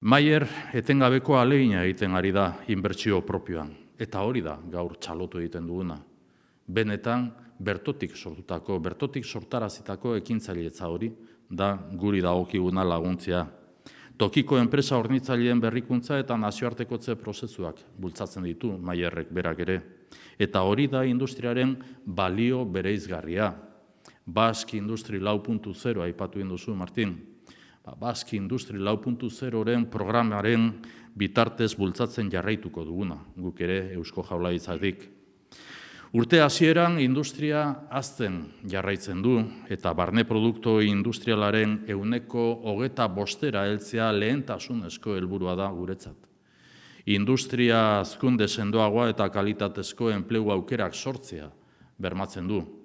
Maier etengabeko ahalegina egiten ari da inbertsio propioan, eta hori da gaur txalotu egiten duguna. Benetan, bertotik sortarazitako ekintzailetza hori da guri dagokiguna laguntzea. Tokiko enpresa hornitzaileen berrikuntza eta nazioartekotze prozesuak bultzatzen ditu Maierrek berak ere. Eta hori da industriaren balio bereizgarria. Basque Industry 4.0 aipatu egin duzu, Martin. Basque Industry 4.0-ren programaren bitartez bultzatzen jarraituko duguna, guk ere Eusko Jaurlaritzatik. Urte hasieran industria hazten jarraitzen du, eta barne produktu industrialaren 25% heltzea lehentasunezko helburua da guretzat. Industria hazkunde sendoagoa eta kalitatezko enplegu aukerak sortzea bermatzen du.